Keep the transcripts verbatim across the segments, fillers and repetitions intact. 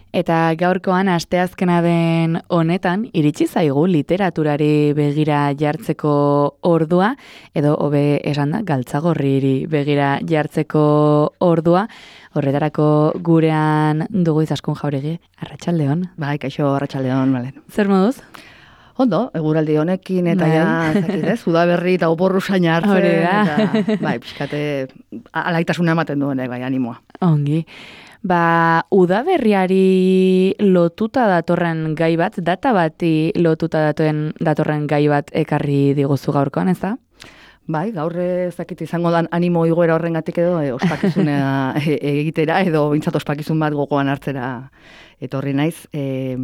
Eta gaurkoan asteazkena den honetan, iritsi zaigu literaturari begira jartzeko ordua, edo hobe esan da, galtzagorriri begira jartzeko ordua, horretarako gurean dugu Izaskun Jauregi, arratsaldeon. Bai, kaixo, arratsaldeon, Malen. Zer moduz? Ondo, eguraldi honekin eta bai. ja, zakit, ez, udaberri eta oporru saina hartzen. Hori da. Eta, bai, pixkate, alaitasuna ematen duenek, bai, animoa. Ongi. Ba, udaberriari lotuta datorren gai bat, data bati lotuta datorren, datorren gai bat ekarri diguzu gaurkoan, ez da? Bai, gaur ezakit izango dan animo igoera horrengatik edo e, ospakizunea egitera edo bintzat ospakizun bat gogoan hartzera etorri naiz. E,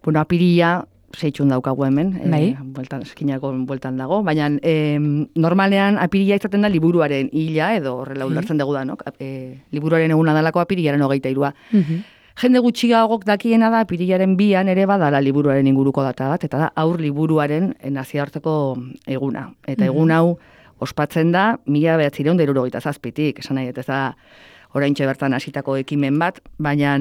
bueno, apiria seitxun daukagu hemen, bai. e, bueltan, eskinako bueltan dago, baina e, normalean apiria izaten da liburuaren hila edo horrela ulertzen dugu da, no? E, liburuaren eguna dalako apiriaren hogeita irua. Mhm. Jende gutxigagok dakiena da apirilaren bian ere badala liburuaren inguruko data bat, eta da aur liburuaren nazioarteko eguna. Eta egun hau ospatzen da mila bederatziehun eta hirurogeita zazpitik, esan nahi, ez da oraintxe bertan hasitako ekimen bat, baina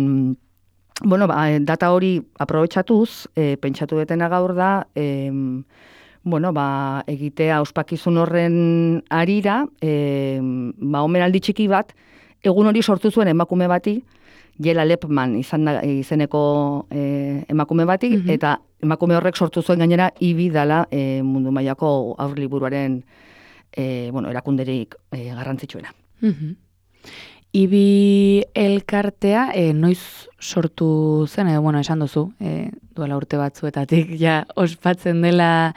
bueno, ba, data hori aprobetxatuz, e, pentsatu detena gaur da, e, bueno, ba, egitea ospakizun horren arira, e, ba, omenaldi txiki bat, egun hori sortu zuen emakume bati, Jela Lepman izan da, izeneko e, emakume bati, mm-hmm. eta emakume horrek sortu zuen gainera ibi dala e, mundu mailako aurliburuaren e, bueno, erakunderik e, garrantzitsuena. Mm-hmm. Ibi elkartea, e, noiz sortu zen, edo, bueno, esan duzu, e, duela urte batzuetatik, ja, ospatzen dela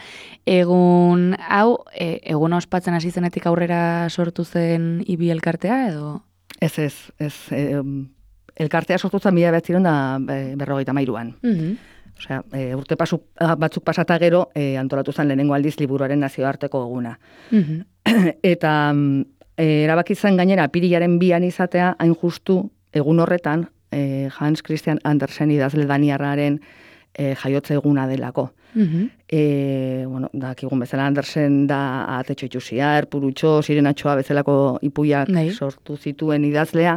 egun hau, e, egun ospatzen hasi zenetik aurrera sortu zen Ibi elkartea, edo? Ez, ez, ez, e, elkartea sortu zen mila bederatziehun eta berrogeita hamairuan. Mm-hmm. Osea, e, urte pasu, batzuk pasata gero, e, antolatu zen lehenengo aldiz liburuaren nazioarteko eguna. Mm-hmm. Eta E, erabaki zen gainera apirilaren bian izatea, hain justu egun horretan e, Hans Christian Andersen idazle daniarraren e, jaiotze eguna delako. Mm-hmm. E, bueno, dakigun bezala Andersen da Atetxo Itxusia, Erpurutxo, Sirenatxoa bezalako ipuiak Nei. sortu zituen idazlea.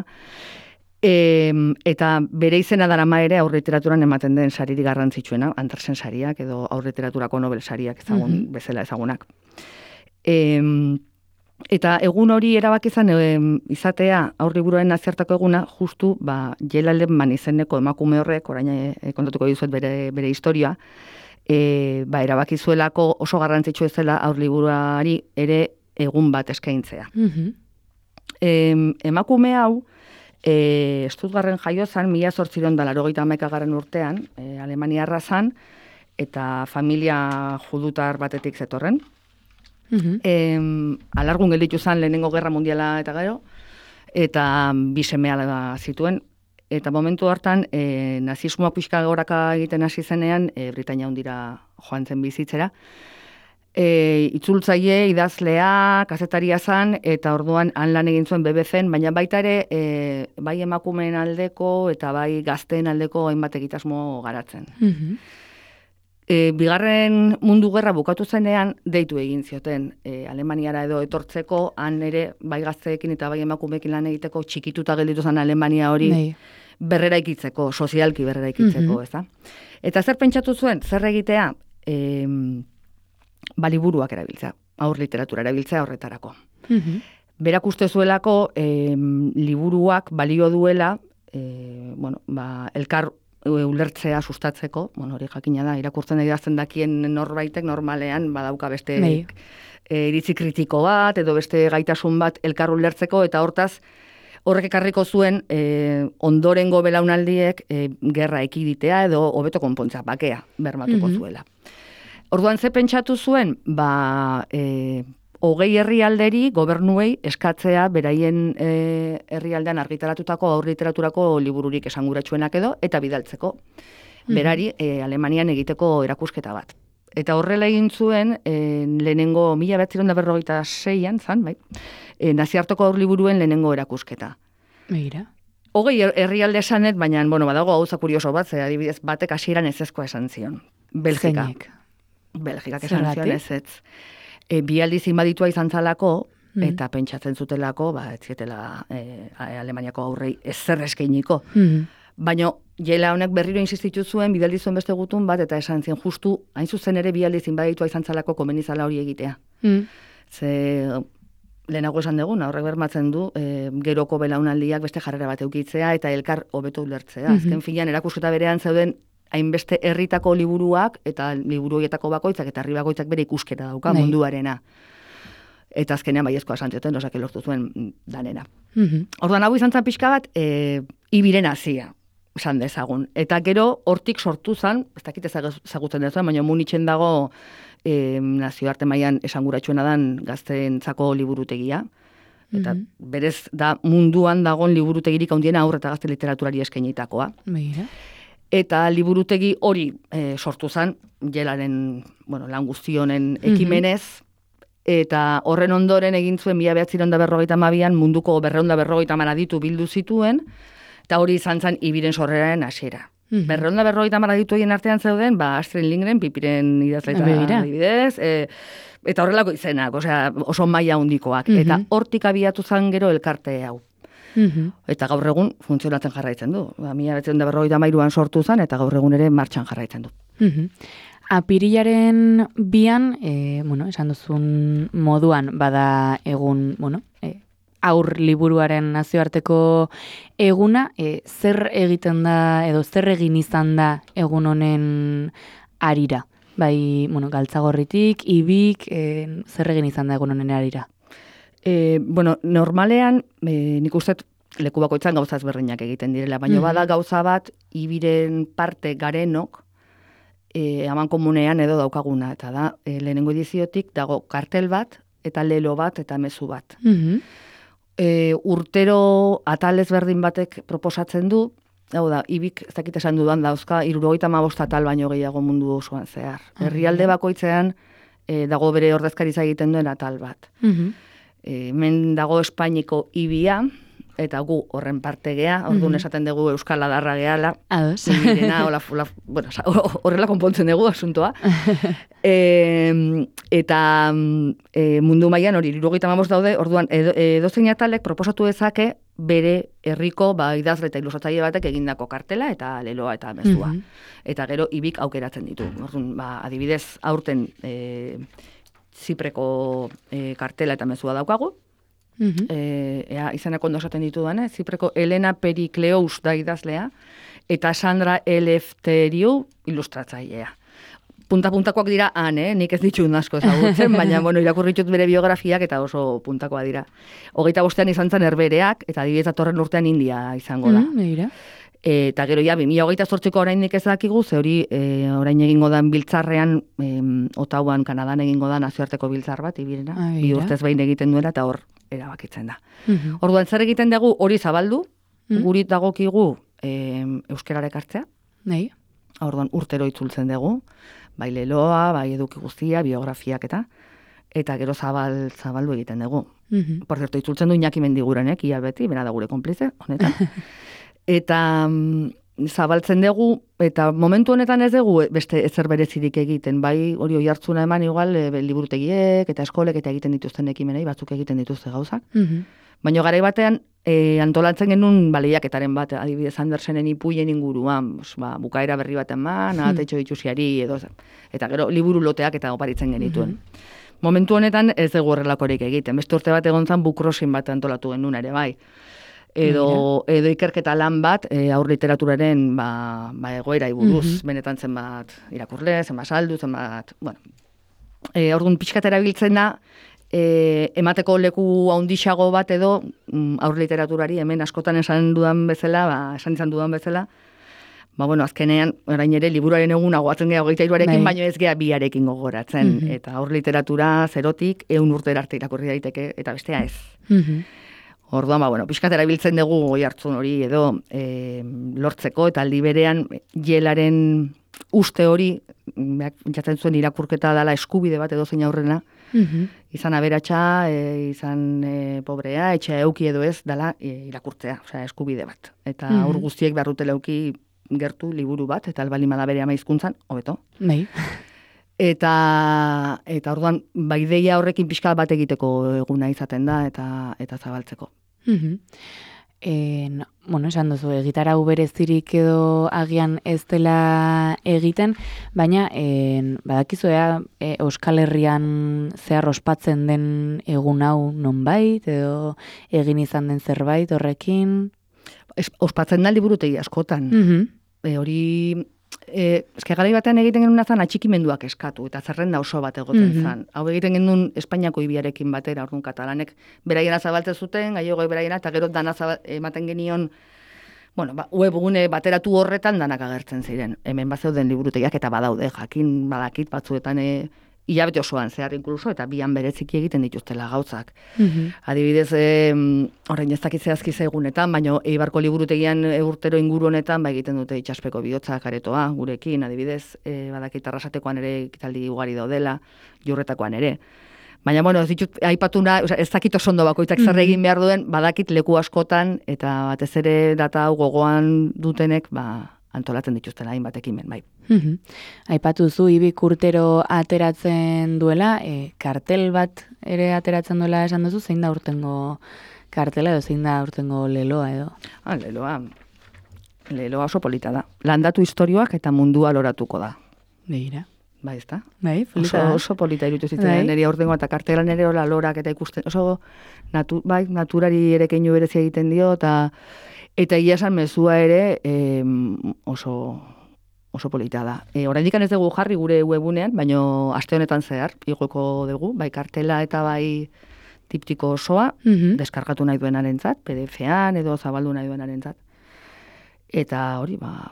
E, eta bere izena darama ere aurliteraturan ematen den saririk garrantzitsuena, Andersen sariak edo aurliteraturako Nobel sariak ezagun, mm-hmm. bezala ezagunak. E, Eta egun hori erabaki izan e, izatea aurliburuaren nazioarteko eguna justu ba Jela Lepman izeneko emakume horrek orain e, kontatuko dizuet bere bere historia e, ba erabaki zuelako oso garrantzitsua zela aurliburuari ere egun bat eskaintzea. Mm-hmm. E, emakume hau e, Stuttgarten jaio zen mila zortziehun eta laurogeita hamaikagarren urtean, e, Alemaniarra zen eta familia judutar batetik zetorren. Mm-hmm. E, alargun gelditu zen lehenengo gerra mundiala eta gero, eta bi semea zituen, eta momentu hartan e, nazismoa pixka goraka egiten hasi zenean, e, Britainia Handira joan zen bizitzera. E, itzultzaile, idazlea, kazetaria zen, eta orduan han lan egin zuen B B Cen, baina baita ere e, bai emakumeen aldeko eta bai gazteen aldeko hainbat egitasmo garatzen. Mm-hmm. E, bigarren mundu gerra bukatu zenean deitu egin zioten e, Alemaniara edo etortzeko, han ere bai gazteekin eta bai emakumeekin lan egiteko txikituta gelditu zen Alemania hori Nei. berrera ikitzeko, sozialki berrera ikitzeko, mm-hmm. ez da? Eta zer pentsatu zuen, zer egitea, e, ba liburuak erabiltzea, aur literatura erabiltzea horretarako. Mm-hmm. Berak uste zuelako e, liburuak balio duela, e, bueno, ba, elkar ulertzea sustatzeko, bueno, hori jakina da, irakurtzen idazten dakien norbaitek normalean badauka beste e, iritzi kritiko bat, edo beste gaitasun bat elkar ulertzeko, eta hortaz, horrek ekarriko zuen e, ondorengo belaunaldiek e, gerra ekiditea edo hobeto konpontzea, bakea, bermatuko mm-hmm. zuela. Orduan ze pentsatu zuen, ba, e, hogei herrialderi, gobernuei, eskatzea beraien e, herrialdean argitaratutako aurliteraturako libururik esanguratsuenak edo, eta bidaltzeko. Berari, e, Alemanian egiteko erakusketa bat. Eta horrela egin zuen, e, lehenengo mila bederatziehun eta berrogeita seian, zan, bai, e, naziarteko aurliburuen lehenengo erakusketa. Begira. Hogei herrialde esanet, baina, bueno, badago gauza kurioso bat, ze adibidez batek hasieran ezezkoa esan zion. Belgika. Zeinek. Belgikak esan zion ez ez. E, bi aldiz inbaditua izan zalako, mm. eta pentsatzen zutelako, ba, ez zietela e, Alemaniako aurrei ezer eskainiko. Mm. Baina jela honek berriro insistitu zuen, bidaldi zuen beste gutun bat, eta esan zien justu, hain zuzen ere bialdi zinbaditua izan zalako komenizala hori egitea. Mm. Ze lehenago esan dugun, horrek bermatzen du, e, geroko belaunaldiak beste jarrera bat eukitzea, eta elkar hobeto ulertzea. Mm-hmm. Azken finean, erakusketa berean zeuden, hainbeste herritako liburuak, eta liburu horietako bakoitzak, eta herri bakoitzak bere ikuskera dauka, Nei. munduarena. Eta azkenean baiezkoa santzioten, osake lortu zuen danena. Mm-hmm. Orduan, hau izan zan pixka bat, e, ibiren hazia, esan dezagun. Eta gero, hortik sortu zan, ez dakit ezagutzen dezuen, baina munitzen dago e, nazioarte mailan esanguratsuena dan gazteentzako liburutegia. Eta mm-hmm. berez da munduan dagon liburutegirik handiena aurre eta gazte literaturari eskainitakoa. Mira. Eta liburutegi hori e, sortu zan, jelaren, bueno, lan guztionen ekimenez, mm-hmm. eta horren ondoren egin zuen mila bederatziehun eta berrogeita hamabian munduko berrehun eta berrogeita hamar aditu bildu zituen, eta hori izan zen ibiren sorreraren hasiera. Mm-hmm. Berrehun eta berrogeita hamar aditu egin artean zeuden, ba Astrid Lindgren, Pipiren idazleta adibidez, e, eta horrelako izenak, osea, oso maila handikoak. Mm-hmm. Eta hortik abiatu zen gero elkarte hau. Mm-hmm. Eta gaur egun funtzionatzen jarraitzen du. Ba, mila bederatziehun eta berrogeita hamairuan sortu zen, eta gaur egun ere martxan jarraitzen du. Mm-hmm. Apirilaren bian, e, bueno, esan duzun moduan, bada egun, bueno, e, aur liburuaren nazioarteko eguna, e, zer egiten da, edo zer egin izan da egun honen arira? Bai, bueno, Galtzagorritik, Ibik, e, zer egin izan da egun honen arira? E, bueno, normalean, e, nik uste leku bakoitzan gauza ezberdinak egiten direla, baina mm-hmm. bada gauza bat, Ibiren parte garenok, E, aman komunean edo daukaguna, eta da, e, lehenengo ediziotik dago kartel bat, eta lelo bat, eta mezu bat. Mm-hmm. E, urtero atal ezberdin batek proposatzen du, hau da, Ibik, ez dakit esan dudan dauzka, hirurogeita hamabost atal baino gehiago mundu osoan zehar. Mm-hmm. Herrialde bakoitzean e, dago bere ordezkaritza egiten duen atal bat. Mm-hmm. E, hemen dago Espainiko Ibia, eta gu horren parte gea, orduan mm-hmm. esaten dugu Euskal Adarra gehala. Ados. Ibirena, ola, ola, bueno, horrela konpontzen dugu asuntoa. e, eta e, mundu mailan hori, hirurogeita hamabost daude, orduan edo, edozein atalek proposatu dezake bere herriko ba, idazle eta ilustratzaile batek egindako kartela eta leloa eta mezua. Mm-hmm. Eta gero Ibik aukeratzen ditu. Orduan, ba, adibidez, aurten e, Zipreko e, kartela eta mezua daukagu. Mm-hmm. E, ea, izanak ondo esaten ditudan, eh? Zipreko Elena Perikleous da idazlea, eta Sandra Elefteriou ilustratzailea. Punta-puntakoak dira han, eh? Nik ez ditut asko ezagutzen, baina bueno, irakurritut bere biografiak eta oso puntakoa dira. Hogeita bostean izan zen Herbereak, eta adibidez datorren urtean India izango da. Mm, e, eta gero, ja, bi mila hogeita zortziko oraindik ez dakigu, ze hori e, orain egingo dan biltzarrean, e, Ottawan, Kanadan egingo da nazioarteko biltzar bat, Ibirena, bi urtez behin egiten duela, eta hor erabakitzen da. Mm-hmm. Orduan, zer egiten dugu hori zabaldu, mm-hmm. guri dagokigu e, euskerarek hartzea. Nei. Orduan, urtero itzultzen dugu, bai leloa, bai eduki guztia, biografiak eta, eta gero zabal, zabaldu egiten dugu. Mm-hmm. Por cierto, itzultzen du Iñaki Mendigurenek, ia beti, bera da gure konplize, honetan. Eta mm, zabaltzen dugu, eta momentu honetan ez dugu beste ezer berezirik egiten, bai hori oi hartzuna eman igual, e, liburutegiek eta eskolek eta egiten dituzten ekimenei, batzuk egiten dituzte gauzak. Mm-hmm. Baina garai batean, e, antolatzen genuen baleiaketaren bat, adibidez Andersenen ipuien inguruan, ba, bukaera berri baten man, mm-hmm. atetxo ditusiari, edo, eta gero liburu loteak eta oparitzen genituen. Mm-hmm. Momentu honetan ez dugu horrelakorik egiten, beste urte bat egon zen bukrosin bat antolatu genuen ere, bai. Edo, edo ikerketa lan bat, e, aur literaturaren ba, ba egoera iburuz, mm-hmm. benetan zenbat irakurle, zenbat saldu, zenbat, bueno. E, orduan pixkat erabiltzen da, e, emateko leku handixago bat edo mm, aur literaturari, hemen askotan esan dudan bezala, ba, esan izan dudan bezala, ba, bueno, azkenean, orain ere, liburuaren egun agoatzen geha hogeita hiruarekin, baino ez geha biarekin gogoratzen. Mm-hmm. Eta aur literatura zerotik, ehun urte arte irakurri daiteke, eta bestea ez. Mm-hmm. Orduan, ba, bueno, pixkat erabiltzen dugu goi hartzun hori edo e, lortzeko, eta aldi berean jelaren uste hori, pentsatzen zuen irakurketa dela eskubide bat edo zein aurrena, mm-hmm. izan aberatsa, e, izan e, pobrea, etxe euki edo ez, dela e, irakurtzea, osea, eskubide bat. Eta mm-hmm. aur guztiek beharrutela euki gertu liburu bat, eta albalima da bere ama hizkuntzan, hobeto. Nei. Eta, eta orduan, ba, ideia horrekin pixka bat egiteko eguna izaten da, eta eta zabaltzeko. Mm-hmm. En, bueno, esan duzu, egitarau berezirik edo agian ez dela egiten, baina en, badakizu ea e, Euskal Herrian zehar ospatzen den egun hau nonbait, edo egin izan den zerbait horrekin? Es, ospatzen da liburutegi askotan. Mm-hmm. E, hori... E, eske garai batean egiten genuen zan atxikimenduak eskatu, eta zerrenda oso bat egoten Mhm. zan. Hau egiten genuen Espainiako ibiarekin batera, orduan katalanek beraiena zabaltzen zuten, gallegoi beraiena, eta gero dana zabal, ematen genion, bueno, ba, webgune bateratu horretan danak agertzen ziren. Hemen bat zeuden liburutegiak eta badaude, jakin badakit batzuetan e, hilabete osoan zehar inkluso, eta bian bereziki egiten dituztela gauzak. Mhm. Adibidez, e, orain ez dakit zehazki zegunetan, baina Eibarko liburutegian e, urtero inguru honetan ba egiten dute itxaspeko bihotzak aretoa gurekin, adibidez, e, badakit Arrasatekoan ere ekitaldi ugari daudela, Jurretakoan ere. Baina, bueno, ez ditut, aipatuna, o sea, ez dakit oso ondo bakoitzak zer egin behar duen, badakit leku askotan, eta batez ere data hau gogoan dutenek, ba, antolatzen dituztela hainbat ekimen, bai. Mhm. Aipatu zu Ibik urtero ateratzen duela, e, kartel bat ere ateratzen duela esan duzu, zein da urtengo kartela edo zein da urtengo leloa edo? Ah, leloa, leloa oso polita da. Landatu istorioak eta mundua loratuko da. Begira. Bai, ezta? Bai, polita Oso, da. oso polita irutu zitzen, Bai. nire aurtengo eta kartelan ere hola lorak eta ikusten, oso natu, bai, naturari ere keinu berezia egiten dio, eta eta ia esan mezua ere eh, oso oso polita da. E, oraindik ez dugu jarri gure webunean, baino aste honetan zehar igoko dugu, bai kartela eta bai tiptiko osoa, Mhm. deskargatu nahi duenarentzat, P D F-an edo zabaldu nahi duenarentzat. Eta hori, ba,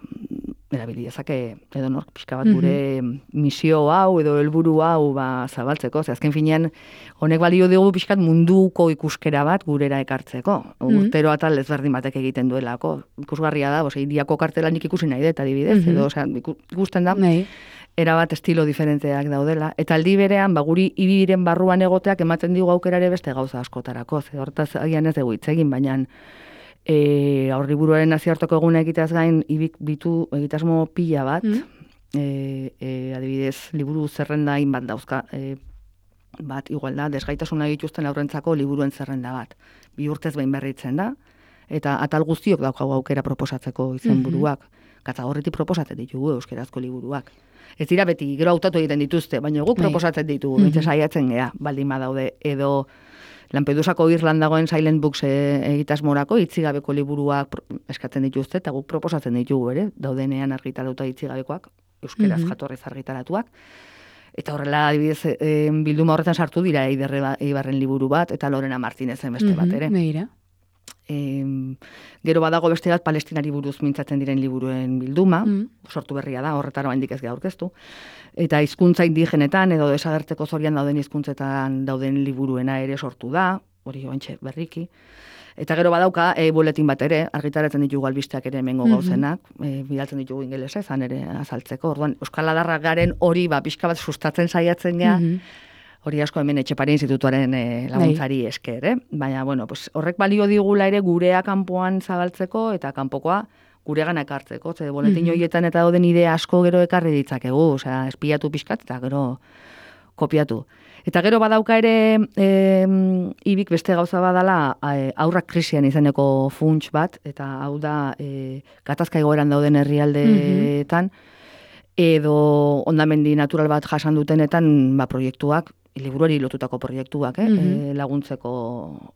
erabili dezake edo nork pixka bat gure misio hau edo helburu hau ba, zabaltzeko. Ze azken finean honek balio dugu pixkat munduko ikuskera bat gurera ekartzeko. Urtero atal ezberdin batek egiten duelako. Ikusgarria da, bose, iriako kartela nik ikusi nahi dut adibidez, edo osea, ikusten da, Bai. erabat estilo diferenteak daudela. Eta aldi berean, ba, guri ibiren barruan egoteak ematen digu aukerare beste gauza askotarako. Ze hortaz agian ez dugu hitz egin, baina E, aurriburuaren nazioarteko eguna egiteaz gain ibik ditu egitasmo pila bat, mm. e, e, adibidez liburu zerrenda hainbat dauzka, e, bat igual da, desgaitasuna dituzten aurrentzako liburuen zerrenda bat. Bi urtez behin berritzen da, eta atal guztiok daukagu aukera proposatzeko izenburuak. Mm-hmm. Gatzagorritik proposatzen ditugu euskerazko liburuak. Ez dira beti, gero hautatu egiten dituzte, baina guk proposatzen ditugu, mm-hmm. bintze saiatzen gea, baldin badaude, edo Lampedusako Irlandagoen Silent Books egitasmorako itzigabeko liburuak eskatzen dituzte, eta guk proposatzen ditugu ere, daudenean argitaratuta itzigabekoak, euskeraz mm-hmm. jatorriz argitaratuak. Eta horrela, adibidez, e, bilduma horretan sartu dira Eibarren liburu bat, eta Lorena Martinezen beste bat ere. Begira. E, gero badago beste bat Palestinari buruz mintzatzen diren liburuen bilduma, mm. sortu berria da, horretara handik ez geha aurkeztu. Eta hizkuntza indigenetan edo desagertzeko zorian dauden hizkuntzetan dauden liburuena ere sortu da, hori oantxe berriki. Eta gero badauka e, buletin bat ere, argitaratzen ditugu albisteak ere hemengo gauzenak, mm-hmm. e, bidaltzen ditugu ingelesa ezan ere azaltzeko. Orduan, Euskal Adarrak garen hori ba, pixka bat sustatzen saiatzen gea, mm-hmm. hori asko hemen Etxepare Institutuaren e, laguntzari esker, eh? Baina, bueno, pues, horrek balio digula ere gurea kanpoan zabaltzeko eta kanpokoa guregana ekartzeko. Ze boletin horietan mm-hmm. eta dauden idea asko gero ekarri ditzakegu, osea, espiatu pixkat eta gero kopiatu. Eta gero badauka ere e, ibik beste gauza badala e, aurrak krisian izeneko funts bat, eta hau da e, gatazka egoeran dauden herrialdeetan, mm-hmm. edo ondamendi natural bat jasan dutenetan ba, proiektuak, liburuari lotutako proiektuak, eh? Mm-hmm. e, laguntzeko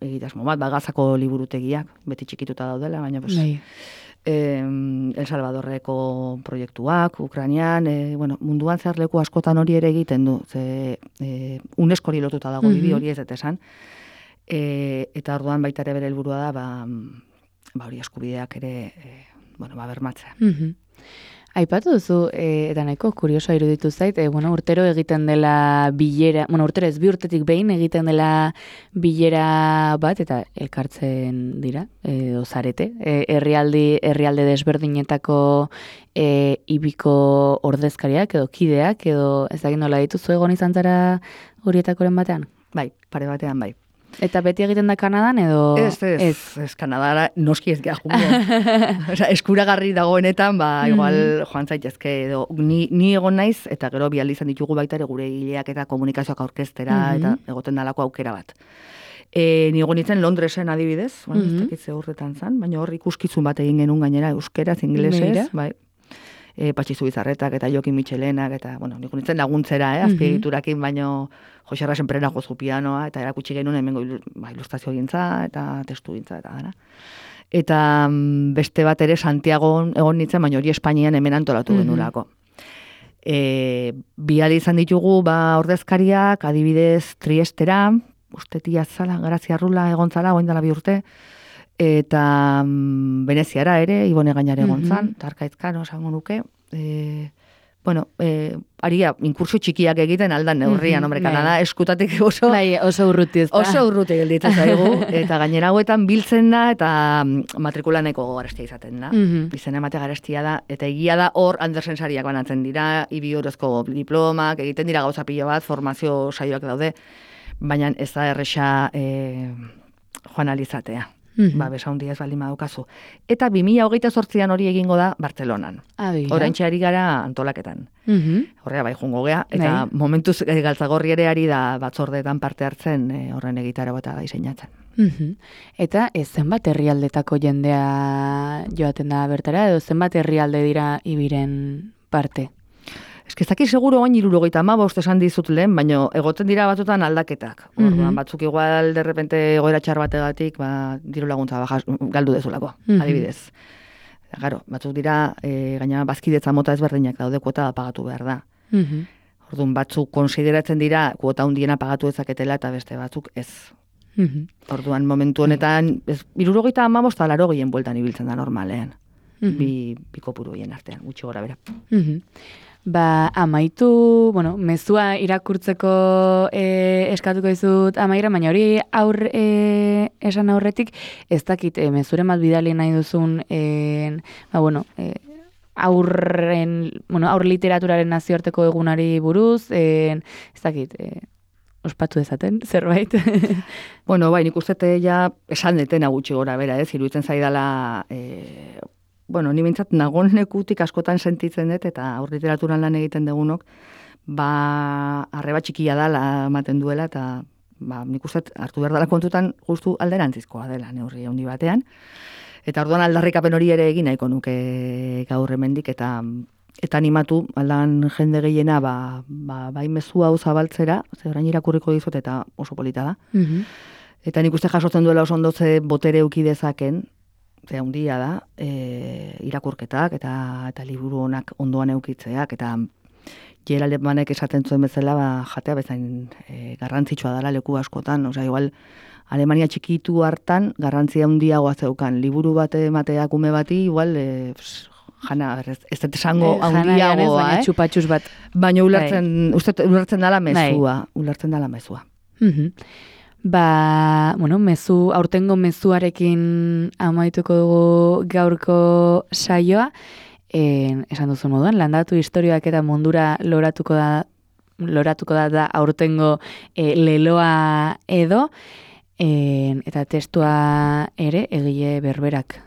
egitasmo bat, bagazako liburutegiak, beti txikituta daudela, baina pues, eh, El Salvadorreko proiektuak, Ukrainian, eh, bueno, munduan zehar leku askotan hori ere egiten du, ze eh, UNESCO-ri lotuta dago mm-hmm. hori ez dut esan, e, eta orduan baita ere bere helburua da, ba, ba hori eskubideak ere, e, bueno, ba, bermatzea. Mm-hmm. Aipatu duzu, e, eta nahiko kuriosoa iruditu zait, e, bueno, urtero egiten dela bilera, bueno, urtero ez bi urtetik behin egiten dela bilera bat, eta elkartzen dira, e, ozarete, e, herrialdi, herrialde desberdinetako e, ibiko ordezkariak, edo kideak, edo ez dakit nola dituzu egon izan zara horietakoren batean? Bai, pare batean bai. Eta beti egiten da Kanadan edo... Ez, ez, ez, ez Kanadara noski ez geha Osa, eskuragarri dagoenetan, ba, igual joan zaitezke edo ni, ni egon naiz, eta gero bialdi izan ditugu baita ere gure hileak eta komunikazioak aurkeztera, mm-hmm. eta egoten dalako aukera bat. E, nigo nintzen Londresen adibidez, bueno, Mhm. ez dakit ze urtetan zan, baina hor ikuskizun bat egin genuen gainera euskeraz, inglesez, bai. E, Patxi Zubizarretak eta Jokin Michelenak, eta, bueno, nigo nintzen laguntzera, eh, azpiegiturakin, baino Jose Arrasen Perena jozu pianoa, eta erakutsi genuen hemengo ilu, ba, ilustrazio gintza, eta testu gintza, eta dara. Eta mm, beste bat ere Santiago egon nintzen, baina hori Espainian hemen antolatu Mhm. genulako. E, biali izan ditugu ba ordezkariak, adibidez Triestera, ustetia zala, Grazia Rula egon zala, oin dela bi urte, eta mm, Veneziara ere, Ibone Gainare egon zan, Mhm. eta Arkaitzkano esango nuke, e, bueno, e, aria, inkursio txikiak egiten aldan neurrian, Mhm, hombre, bai. Kanada eskutatik oso, Bai, oso urruti ez da. oso urruti gelditzen zaigu, eta gainera hauetan biltzen da, eta mm, matrikulaneko garestia izaten da. Mhm. Izena emate garestia da, eta egia da hor Andersen sariak banatzen dira, ibi orozko diplomak, egiten dira gauza pilo bat, formazio saioak daude, baina ez da erresa e, joan alizatea. Mhm. Ba, besa hundia ez baldin badaukazu. Eta bi mila hogeita zortzian hori egingo da Bartzelonan. Abira. Oraintxe ari gara antolaketan. Mhm. Horrea bai jungo gea, eta Bai. momentuz e, Galtzagorri ere ari da batzordeetan parte hartzen e, horren egitara eta diseinatzen. Mhm. Eta ez zenbat herrialdetako jendea joaten da bertara, edo zenbat herrialde dira ibiren parte? Ez que ez dakit seguro oin hirurogeita hamabost esan dizut lehen, baina egoten dira batutan aldaketak. Orduan, Mhm. batzuk igual de repente egoera txar bategatik, ba, diru laguntza baja, galdu dezulako, Mhm. adibidez. Garo, batzuk dira, e, gaina bazkidetza mota ezberdinak daude, kuota pagatu behar da. Mhm. Orduan, batzuk konsideratzen dira kuota hundiena pagatu dezaketela eta beste batzuk ez. Mhm. Orduan, momentu honetan, ez, hirurogeita hamabost eta laro gehien bueltan ibiltzen da normalean. Mhm. Bi, bi kopuru hien artean, gutxi gora bera. Mhm. Ba, amaitu, bueno, mezua irakurtzeko e, eskatuko dizut amaira, baina hori aur e, esan aurretik, ez dakit, e, mezuren bat bidali nahi duzun, e, ba, bueno, e, aurren, bueno, aur literaturaren nazioarteko egunari buruz, e, ez dakit, e, ospatu dezaten, zerbait. Bueno, bai, nik uste ja esan detena gutxi gora bera, ez, iruditzen zaidala, e, bueno, ni bintzat nagonekutik askotan sentitzen dut, eta aur literaturan lan egiten degunok, ba, arreba txikia dala ematen duela, eta ba, nik uste hartu behar dela kontutan justu alderantzizkoa dela neurri handi batean. Eta orduan aldarrikapen hori ere egin nahiko nuke gaur hemendik, eta eta animatu aldan jende gehiena ba, ba, bai mezu hau zabaltzera, ze orain irakurriko dizut eta oso polita da. Mhm. Eta nik uste jasotzen duela oso ondo ze botere eduki dezaken, ze handia da, e, irakurketak eta eta liburu honak ondoan eukitzeak, eta Gerald Emanek esaten zuen bezala, ba, jatea bezain e, garrantzitsua dela leku askotan, osea, igual Alemania txikitu hartan garrantzia handiagoa zeukan, liburu bat emateak ume bati, igual, e, pss, jana, ez, ez dut esango Eh, jana janez, handiagoa, baina eh? txupatxus bat. Baina ulertzen, uste, ulertzen dala mezua, ulertzen dala mezua. Mhm. Ba, bueno, mezu, aurtengo mezuarekin amaituko dugu gaurko saioa, e, esan duzu moduan, landatu historioak eta mundura loratuko da, loratuko da, da aurtengo e, leloa edo, e, eta testua ere egile berberak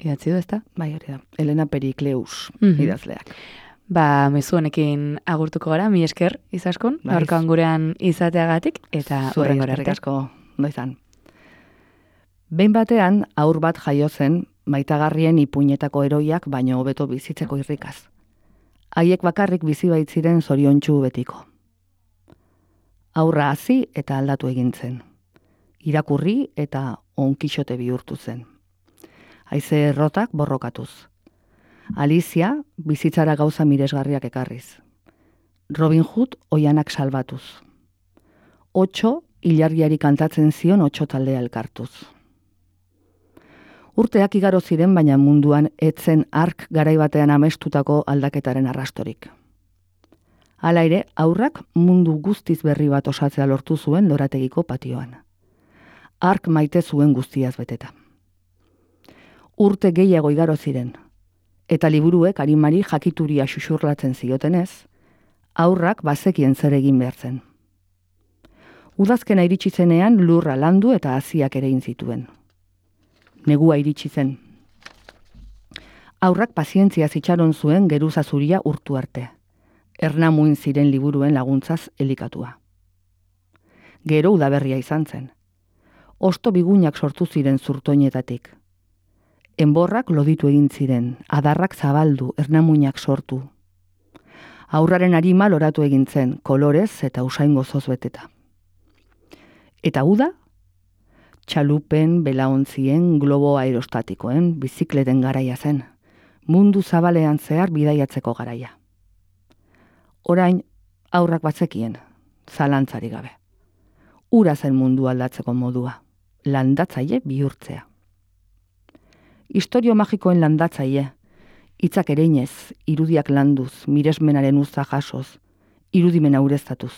idatzi du, ezta? Bai, hori da. Elena Perikleus Mhm. idazleak. Ba, mezu honekin agurtuko gara, mi esker izaskun, Bai. gaurkoan gurean izateagatik, eta Zuei horrengora eskerrik arte. asko, ondo izan. Behin batean, aur bat jaio zen, maitagarrien ipuinetako eroiak baino hobeto bizitzeko irrikaz. Haiek bakarrik bizi baitziren zoriontsu betiko. Aurra hasi eta aldatu egin zen. Irakurri eta onkixote bihurtu zen. Haize errotak borrokatuz. Alicia bizitzara gauza miresgarriak ekarriz. Robin Hood oianak salbatuz. Otxo ilargiari kantatzen zion otxo taldea elkartuz. Urteak igaro ziren, baina munduan etzen ark garai batean amestutako aldaketaren arrastorik. Hala ere, aurrak mundu guztiz berri bat osatzea lortu zuen lorategiko patioan. Ark maite zuen guztiaz beteta. Urte gehiago igaro ziren, eta liburuek arimari jakituria xuxurlatzen ziotenez, aurrak bazekien zer egin behar zen. Udazkena iritsi zenean lurra landu eta haziak ere egin zituen. Negua iritsi zen. Aurrak pazientzia itxaron zuen geruza zuria urtu arte. Ernamuin ziren liburuen laguntzaz elikatua. Gero udaberria izan zen. Osto bigunak sortu ziren zurtoinetatik. Enborrak loditu egin ziren, adarrak zabaldu, ernamuinak sortu. Aurraren arima loratu egin zen, kolorez eta usain gozoz beteta. Eta uda? Txalupen, belaontzien, globo aerostatikoen, bizikleten garaia zen. Mundu zabalean zehar bidaiatzeko garaia. Orain, aurrak batzekien, zalantzari gabe. Ura zen mundu aldatzeko modua, landatzaile bihurtzea. Historio magikoen landatzaile, hitzak ereinez, irudiak landuz, miresmenaren uza jasoz, irudimen aureztatuz.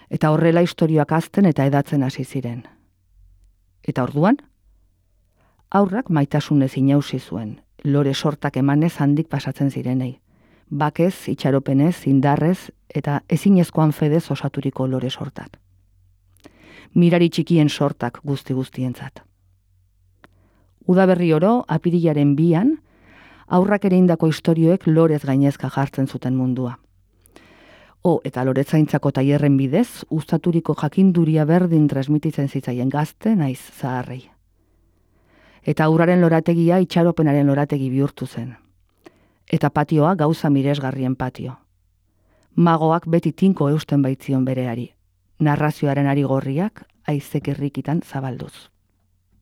Eta horrela historioak azten eta edatzen hasi ziren. Eta orduan, aurrak maitasunez inausi zuen, lore sortak emanez handik pasatzen zirenei. Bakez, itxaropenez, indarrez eta ezinezkoan fedez osaturiko lore sortak. Mirari txikien sortak guzti-guztientzat. Udaberri oro, apirilaren bian, aurrak ere indako istorioek lorez gainezka jartzen zuten mundua. O, eta loretzaintzako tailerren bidez, uztaturiko jakinduria berdin transmititzen zitzaien gazte naiz zaharrei. Eta aurraren lorategia itxaropenaren lorategi bihurtu zen. Eta patioa gauza miresgarrien patio. Magoak beti tinko eusten baitzion bereari, narrazioaren ari gorriak aizek irrikitan zabalduz.